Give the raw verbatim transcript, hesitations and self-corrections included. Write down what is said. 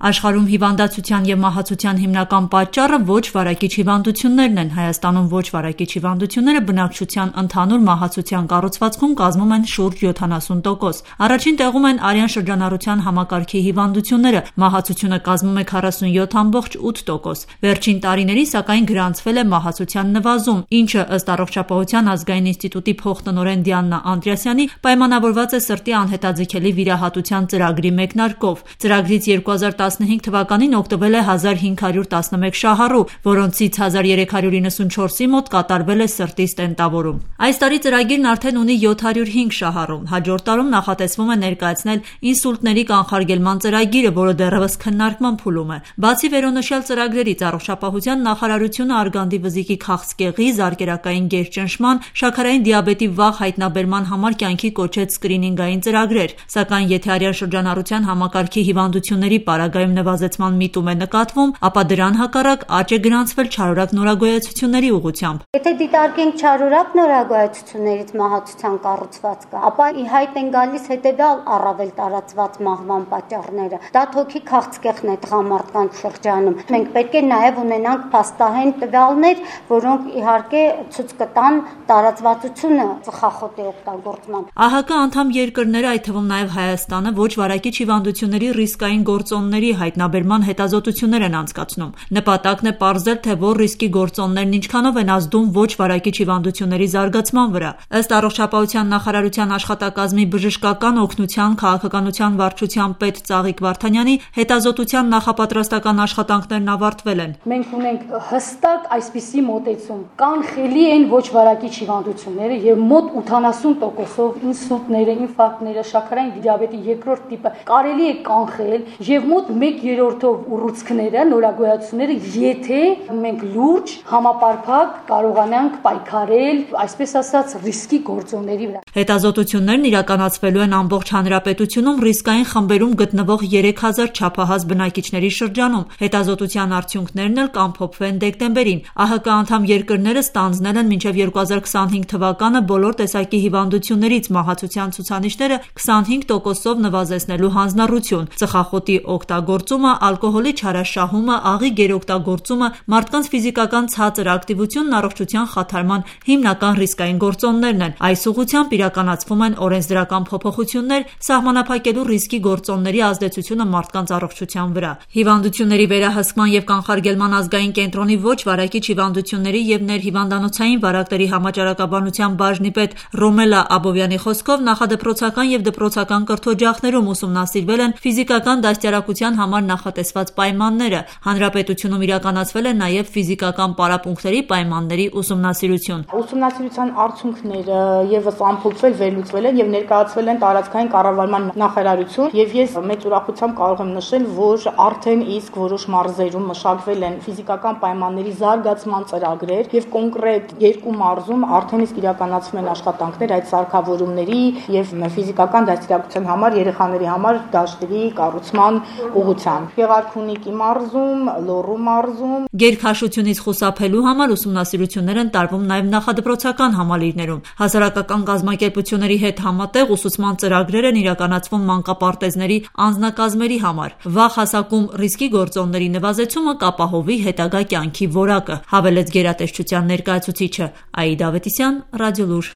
Աշխարհում հիվանդացության և մահացության հիմնական պատճառը ոչ վարակիչ հիվանդություններն են։ Հայաստանում ոչ վարակիչ հիվանդությունները բնակչության ընդհանուր մահացության կառուցվածքում կազմում են շուրջ յոթանասուն տոկոս։ Առաջին տեղում են արյան շրջանառության համակարգի հիվանդությունները, մահացությունը կազմում է քառասունյոթ ամբողջ ութ տոկոս։ Վերջին տարիներին սակայն գրանցվել է մահացության նվազում, ինչը ըստ Առողջապահության ազգային ինստիտուտի փոխտնօրեն Դիանա Անդրեասյանի պայմանավորված է սրտի անհետաձգելի վիրահատության ծրագրի մեկնարկով։ Ծրագրից երկու հազար տասնհինգ թվականին օգտվել է հազար հինգ հարյուր տասնմեկ շահառու, որոնցից հազար երեք հարյուր իննսունչորսի մոտ կատարվել է սրտի ստենտավորում։ Այս տարի ծրագիրն արդեն ունի յոթ հարյուր հինգ շահառու։ Հաջորդ տարում նախատեսվում է ներկայացնել ինսուլտների կանխարգելման ծրագիրը, որը դեռևս քննարկման փուլում է։ Բացի վերոնշյալ ծրագրերից, Առողջապահության նախարարությունը արգանդի վզիկի քաղցկեղի, զարկերակային գերճնշման, շաքարային դիաբետի վաղ հայտնաբերման համար կյանքի կոչեց սկրինինգային ծրագրեր, սակայն եթե արյան շրջանառության համակարգի հիվանդությունների պարագայում նվազեցման միտում է նկատվում, ապա դրան հակառակ աճ է գրանցվել չարորակ նորագոյացությունների ուղղությամբ։ Եթե դիտարկենք չարորակ նորագոյացություններից մահացության կառուցվածքը, ապա ի հայտ են գալիս հետևյալ առավել տարածված մահվան պատճառները։ Դա թոքի քաղցկեղն է տղամարդկանց շրջանում։ Մենք պետք է նաև ունենանք փաստահեն տվյալներ, որոնք իհարկե ցույց կտան տարածվածությունը ծխախոտի օգտագործման։ ԱՀԿ անդամ երկրները, այդ թվում նաև Հայաստանը, ոչ վարակիչ հիվանդությունների ռիսկային գործոնների հայտնաբերման հետազոտություններ են անցկացնում։ Նպատակն է պարզել, թե որ ռիսկի գործոններն ինչքանով են ազդում ոչ վարակիչ հիվանդությունների զարգացման վրա։ Ըստ Առողջապահության նախարարության աշխատակազմի բժշկական օգնության քաղաքականության վարչության պետ Ծաղիկ Վարդանյանի հետազոտության նախապատրաստական աշխատանքներն ավարտվել են։ Մենք ունենք հստակ այսպիսի մոտեցում. կանխելի են ոչ վարակիչ հիվանդությունները եւ մոտ ութանասուն տոկոսով ինսուլտները, ինֆարկտները, շաքարային դիաբետի երկրորդ տիպը կարելի է կանխել եւ մոտ մեկ երրորդով ուռուցքները, նորագոյացությունները, եթե մենք լուրջ, համապարփակ կարողանանք պայքարել, այսպես ասած, ռիսկի գործոնների վրա։ Հետազոտություններն իրականացվելու են ամբողջ հանրապետությունում ռիսկային խմբերում գտնվող երեք հազար չափահաս բնակիչների շրջանում։ Հետազոտության արդյունքներն էլ կամփոփվեն դեկտեմբերին։ ԱՀԿ անդամ երկրները ստանձնել են մինչև երկու հազար քսանհինգ թվականը բոլոր տեսակի հիվանդություններից մահացության ցուցանիշները քսանհինգ տոկոսով նվազեցնելու հանձնառություն։ Ծխախոտի օգտագործումը, ալկոհոլի չարաշահումը, աղի գերօգտագործումը, մարդկանց ֆիզիկական ցածր ակտիվությունն առողջության խաթարման հիմնական ռիսկային գործոններն են։ Այս ուղղությամբ իրականացվում են օրենսդրական փոփոխություններ, սահմանափակելու ռիսկի գործոնների ազդեցությունը մարդկանց առողջության վրա։ Հիվանդությունների վերահսկման և կանխարգելման ազգային կենտրոնի ոչ վարակիչ հիվանդությունների և ներհիվանդանոցային վարակների համաճարակաբանության բաժնի պետ Ռոմելա Աբովյանի խոսքով նախադպրոցական և դպրոցական կրթօջախներում ուսումնասիրվել են ֆիզիկական դաստիարակության համար նախատեսված պայմանները։ Հանրապետությունում իրականացվել է նաև ֆիզիկական պարապմունքների պայմանների ուսումնասիրություն։ Ուսումնասիրության արդյունքները ևս ամփոփվել, վերլուծվել են և ներկայացվել են տարածքային կառավարման նախարարություն, եւ ես մեծ ուրախությամբ կարող եմ նշել, որ արդեն իսկ որոշ մարզերում մշակվել են ֆիզիկական պայմանների զարգացման ծրագրեր եւ կոնկրետ երկու մարզում արդեն իսկ իրականացվում են աշխատանքներ այդ սարքավորումների եւ ֆիզիկական դաստիարակության համար երեխաների համար դաշտերի կառուցման ուղղությամբ։ Գեղարքունիքի մարզում, Լոռու մարզում։ Գերքաշությունից խուսափելու համար ուսումնասիրություններ են տարվում նաև նախադպրոցական համալիրներում։ Հասարակական կազմակերպությունների հետ համատեղ ուսուցման ծրագրեր են իրականացվում մանկապարտեզների անձնակազմերի համար։ Վաղ հասակում ռիսկի գործոնների նվազեցումը կապահովի հետագա կյանքի որակը, հավելեց գերատեսչության ներկայացուցիչը։ Աիդա Ավետիսյան, Ռադիոլուր։